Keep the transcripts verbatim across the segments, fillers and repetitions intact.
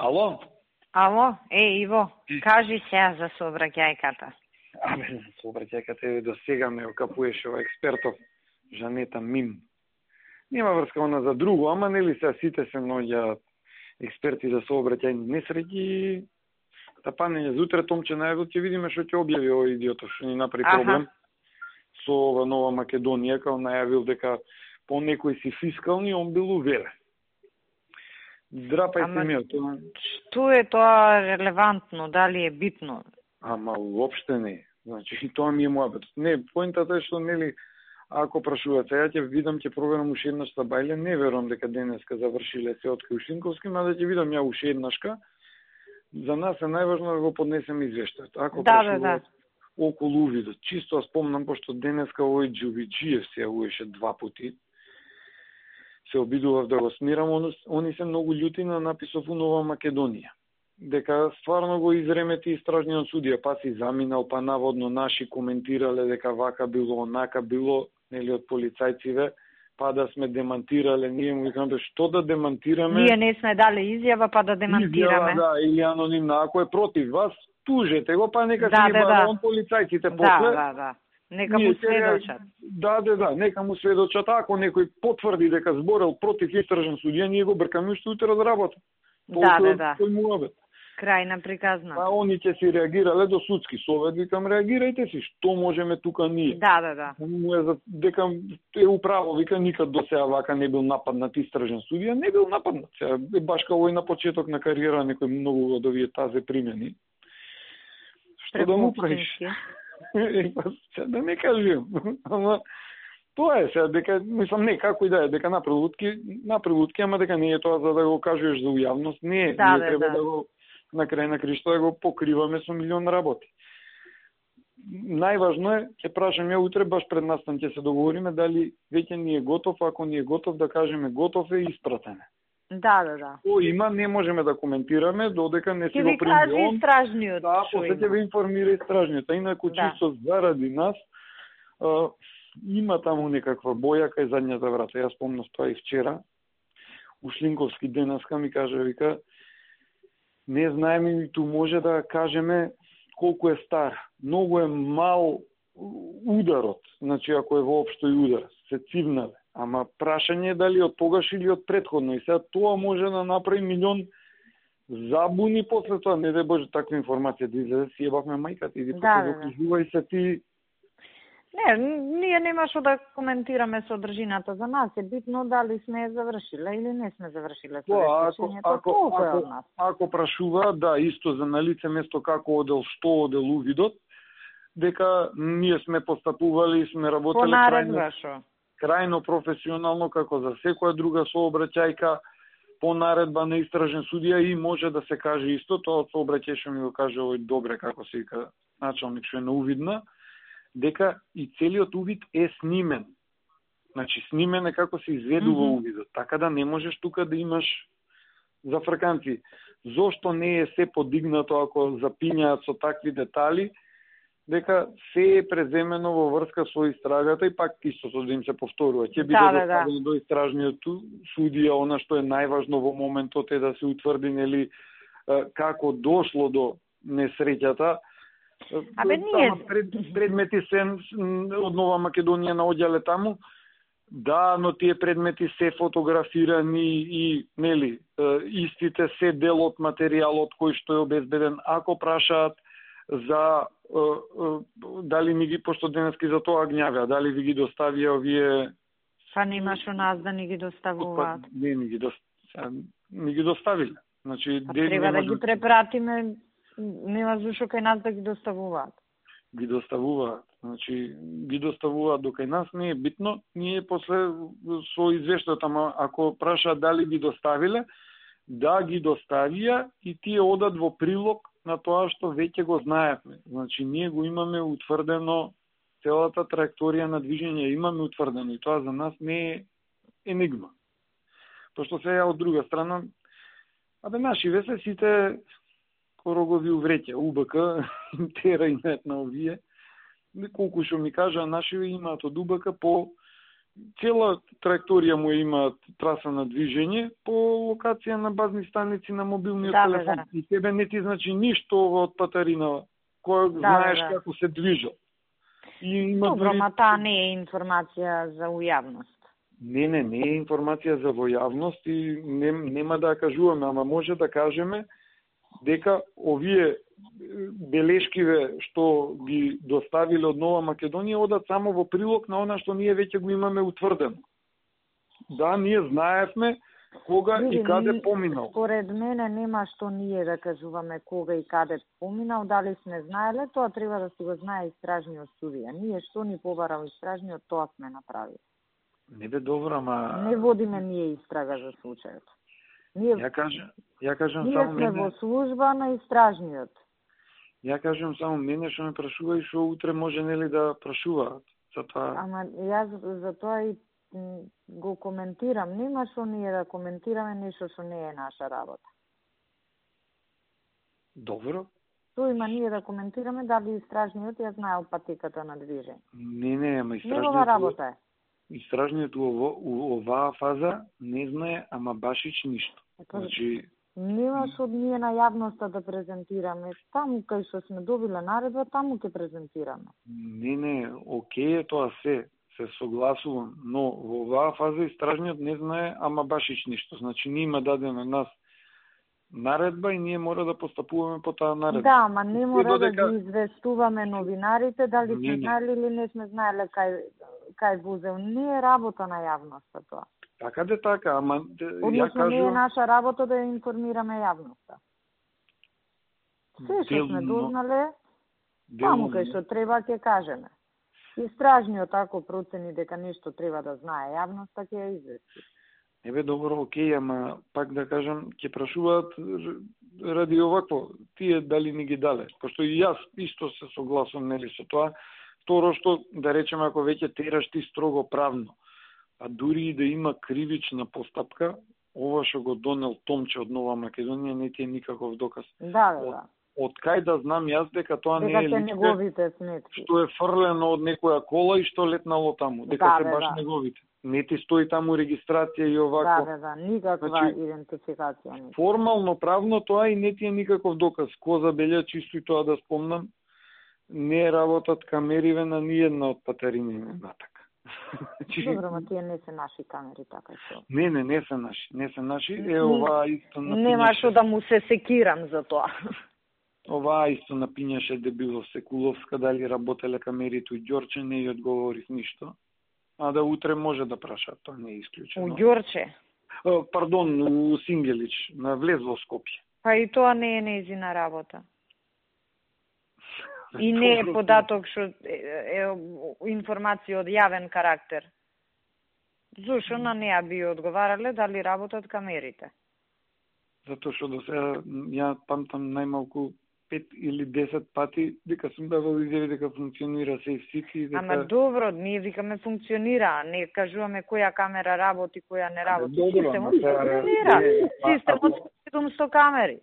Ало? Ало, е, Иво, кажи сега за сообраќајката. Абе, сообраќајката е до сега ме окапуеше ова експертов Жанета Мим. Нема врска она за друго, ама нели се сите се наоѓаат експерти за сообраќајни несреќи. Тапање зутре Томче најавил ќе видиме што ќе објави овој идиотов што ни направи проблем со ова Нова Македонија, као најавил дека по некои си фискални он бил уверен. Драпајте ми тоа. Што е тоа релевантно, дали е битно? Ама уопште не. Значи тоа ми е муабет. Не, поентата е што нели ако прашуваат, сега ќе видам, ќе проверам уште еднаш Бајле, не верувам дека денеска завршиле се од Ушинковски, мада ќе видам ја уште еднашка. За нас е најважно да го поднесеме извештајот. Ако да, прашуваат да, да. околу увидот, чисто спомнам, пошто денеска овој Џувиџиев се јавуваше два пати, се обидував да го смирам, они се многу љути на написов у Нова Македонија. Дека стварно го изремети истражниот судија, па си заминал, па наводно наши коментирале дека вака било, онака било, нели од полицајциве, па да сме демантирале, ние му викаме, што да демантираме? Ние не сме дали изјава, па да демантираме. Изјава, да, или анонимна, ако е против вас, тужете го, па нека да, си ги да, барон да. полицајците да, после. Да, да, Нека му сведочат. Да, да, да, нека му сведочат. Ако некој потврди дека зборел против истражен судија, ние го бркаме уште утре од работа. Да, да, да. Тој му Крај на приказна. А они ќе си реагирале до судски совет, викам реагирајте си, што можеме тука ние. Да, да, да. Му е за дека е управо, вика никад до сега вака не бил нападнат истражен судија, не бил нападнат. Сега е баш као на почеток на кариера некој многу од овие тазе примени. Што да му правиш? Да не кажем. Ама тоа е сега дека мислам не како и да е дека направи лутки, направи лутки, ама дека не е тоа за да го кажеш за ујавност, не е. Да, ние да, треба да. да го на крај на кришто да го покриваме со милион работи. Најважно е, ќе прашам ја утре, баш пред настан ќе се договориме дали веќе ни е готов, ако ни е готов да кажеме готов е испратене. Да, да, да. О, има, не можеме да коментираме, додека не си Ке го ви прими каже он. истражниот. Да, после ќе ви информира истражниот. А инаку Да. чисто заради нас, а, има таму некаква боја кај задњата врата. Јас спомнав тоа и вчера. Ушлинковски денеска ми кажа, вика, не знаеме ниту може да кажеме колку е стар. Многу е мал ударот, значи ако е воопшто и удар, се цивнале. Ама прашање е дали од тогаш или од претходно. И сега тоа може да направи милион забуни после тоа. Не дај Боже таква информација да излезе, си ебавме мајката. Иди Да, после да, да. докажувај се ти. Не, ние нема што да коментираме содржината. За нас е битно дали сме ја завршиле или не сме завршиле со Тоа, ако, решението. ако, Толку е од ако, нас. ако прашува, да, исто за на лице место како одел, што одел увидот, дека ние сме постапували и сме работеле По наредба крајно, шо? крајно професионално, како за секоја друга сообраќајка, по наредба на истражен судија и може да се каже исто, тоа од сообраќај што ми го каже овој добре, како се вика началник што е на увидна, дека и целиот увид е снимен. Значи, снимен е како се изведува mm -hmm. увидот. Така да не можеш тука да имаш зафрканци. Зошто не е се подигнато ако запињаат со такви детали, дека се е преземено во врска со истрагата и пак истото да им се повторува. Ќе биде Да, да, да. доставено до истражниот судија, она што е најважно во моментот е да се утврди нели како дошло до несреќата. Абе, ние... Пред, предмети се од Нова Македонија наоѓале таму, да, но тие предмети се фотографирани и, нели, истите се дел од материјалот кој што е обезбеден. Ако прашаат за дали ми ги, пошто денески за тоа гњавеа, дали ви ги доставија овие... Па немаш у нас да ни ги доставуваат. Па, не, ми ги, до... ми ги доставиле. Значи, па, ден, треба да ги ги препратиме, нема зашо кај нас да ги доставуваат. Ги доставуваат. Значи, ги доставуваат до кај нас, не е битно. Ние после со извештајот, ама ако прашаат дали ги доставиле, да ги доставија и тие одат во прилог на тоа што веќе го знаевме. Значи, ние го имаме утврдено, целата траекторија на движење имаме утврдено и тоа за нас не е енигма. Пошто сега од друга страна, абе наши весе сите корогови увреќа, УБК, тера и нет на овие, колку што ми кажа, наши имаат од УБК по цела траекторија му има траса на движење по локација на базни станици на мобилниот да, телефон. Да. И тебе не ти значи ништо од патарина, кој Да, знаеш да. како се движал. И има Добро, дури... ма таа не е информација за ујавност. Не, не, не е информација за војавност и не, нема да ја кажуваме, ама може да кажеме дека овие белешкиве што ги доставиле од Нова Македонија одат само во прилог на она што ние веќе го имаме утврдено. Да, ние знаевме кога Види, и каде поминал. Според мене нема што ние да кажуваме кога и каде поминал, дали сме знаеле, тоа треба да си го знае истражниот судија. Ние што ни побарал истражниот, тоа сме направили. Не бе добро, ама... Не водиме ние истрага за случајот. Ние, ја кажам, ја кажам ние само сме мене... во служба на истражниот. Ја кажам само мене што ме прашува и што утре може нели да прашуваат. Затоа... Ама јас за тоа и го коментирам. Нема што ние да коментираме нешто што не е наша работа. Добро. Тоа има ние да коментираме дали истражниот ја знаел патеката на движење. Не, не, ама истражниот... Негова работа е. Истражниот у, у оваа фаза не знае, ама башич ништо. Ето, Значи... Нема што ние на јавноста да презентираме. Таму кај што сме добиле наредба, таму ќе презентираме. Не, не, окей е тоа се, се согласувам, но во оваа фаза истражниот не знае, ама башич ништо. Значи, ние има дадена нас наредба и ние мора да постапуваме по таа наредба. Да, ама не мора додека... да ги известуваме новинарите, дали сме знаели или не сме знаеле кај, кај возел. Не е работа на јавноста тоа. Така де така, ама... Односно, ја кажу... не е наша работа да информираме јавноста. Се што сме дознале, таму кај што треба ќе кажеме. Истражниот ако процени дека нешто треба да знае јавноста, ќе ја извести. Ебе, добро, окей, ама пак да кажам, ќе прашуваат ради овакво, тие дали ни ги дале. Пошто и јас исто се согласувам нели со тоа. Второ што, да речеме, ако веќе тераш ти строго правно, а дури и да има кривична постапка, ова што го донел Томче од Нова Македонија не ти е никаков доказ. Да, да, да. Од кај да знам јас дека тоа дека не е личке, неговите сметки. Што е фрлено од некоја кола и што летнало таму, дека да, се бе, баш да. неговите. Не ти стои таму регистрација и овако. Да, да, да, никаква Значи, идентификација не. Формално правно тоа и не ти е никаков доказ. Ко забелја, чисто и тоа да спомнам, не работат камериве на ниедна од патарините натака. Добро, ма тие не се наши камери, така што. Не, не, не се наши, не се наши. Е, оваа исто напињаше... Нема што да му се секирам за тоа. Оваа исто напињаше дебило Секуловска, дали работеле камерите у Ѓорче, не ја одговорив ништо. А да утре може да прашаат, тоа не е исклучено. У Ѓорче? Пардон, у Сингелич, на влез во Скопје. Па и тоа не е нејзина работа. И не е податок што е, е, е информација од јавен карактер. Зошто на неа би одговарале дали работат камерите? Затоа што до сега ја памтам најмалку пет или десет пати дека сум давал изјави дека функционира Safe City. Дека... Ама добро, ние викаме функционира, не кажуваме која камера работи, која не работи. Добро, системот ама, функционира. е, Системот ако... седумсто камери.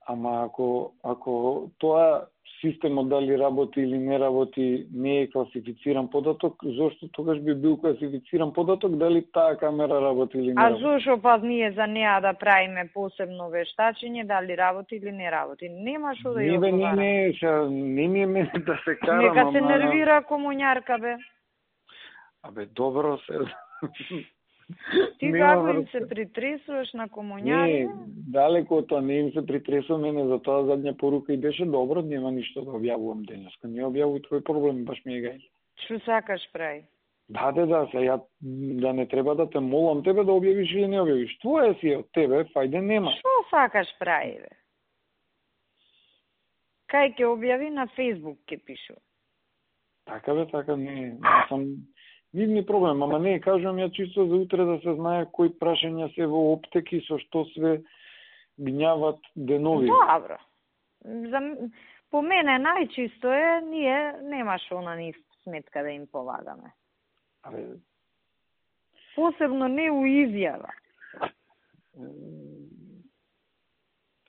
Ама ако, ако тоа системот дали работи или не работи не е класифициран податок, зошто тогаш би бил класифициран податок дали таа камера работи или не а работи? А зошто па ние за неа да правиме посебно вештачење дали работи или не работи? Нема што да ја одговара. Не, не, не, не ми е мене да се карам. Нека се ама... нервира комуњарка, бе. Абе, добро се... Ти како им се притресуваш на комуњари? Не, далеко од тоа не им се притресувам, мене за тоа задња порука и беше добро, нема ништо да објавувам денеска. Не објавувај твој проблем, баш ми е гај. Што сакаш прави? Да, да, да, се ја да не треба да те молам тебе да објавиш или не објавиш. Твое си е од тебе, фајде нема. Што сакаш прави, бе? Кај ќе објави на Facebook ќе пишу. Така бе, така не, не сам нивни проблем, ама не, кажувам ја чисто за утре да се знае кои прашања се во оптеки, со што све гњават денови. Добро. За, по мене најчисто е, ние немаш она ни сметка да им полагаме. Абе... Посебно не у изјава.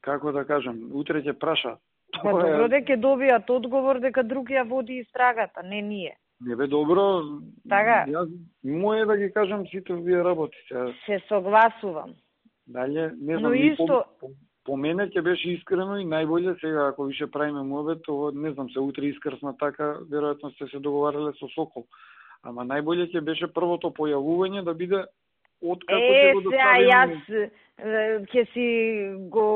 Како да кажам, утре ќе праша. Па добро дека добијат одговор дека друг ја води истрагата, не ние. Не бе добро. Така. Јас моje да ги кажам сите вие работите. Се согласувам. Дале, не знам, Но исто по, по мене ќе беше искрено и најболje сега ако више правиме муабет, тоа не знам, се утре искрсна така, веројатно сте се договарале со Сокол. Ама најболje ќе беше првото појавување да биде од како ќе го доставиме. Е, јас ќе си го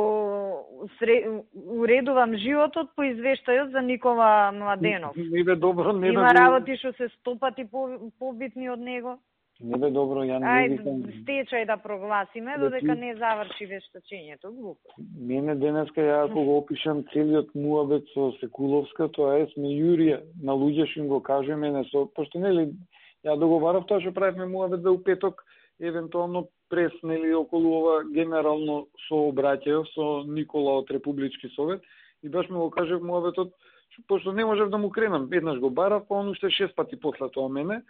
сре... уредувам животот по извештајот за Никола Младенов. Не бе добро, не Има да работи што се сто пати по, побитни од него. Не бе добро, ја не Ајде, викам. стечај да прогласиме, додека не заврши вештачењето, глупо. Мене денеска, ја ако го опишам целиот муабет со Секуловска, тоа е сме јурија, на луѓе што им го кажеме, мене со, пошто нели, ја договарав тоа што правевме муабет за у петок, евентуално прес, нели, околу ова генерално сообраќај со Никола од Републички совет, и баш ми го кажав муабетот, пошто не можев да му кренам, еднаш го барав, па он уште шест пати после тоа мене,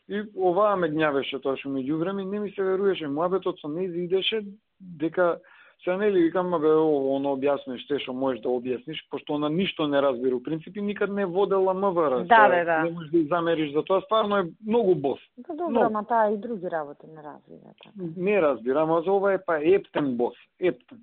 и оваа ме гњавеше тоа што меѓу време, не ми се веруваше, муабетот со нејзи идеше, дека, се нели, викам, бе, оно објасниш, те што можеш да објасниш, пошто она ништо не разбира, у принципи никад не водела МВР, да, бе, да. Не можеш да замериш за тоа, стварно е многу бос. Да, добро, ама таа и други работи не разбира. Така. Не разбира, ама за ова е па ептен бос, ептен.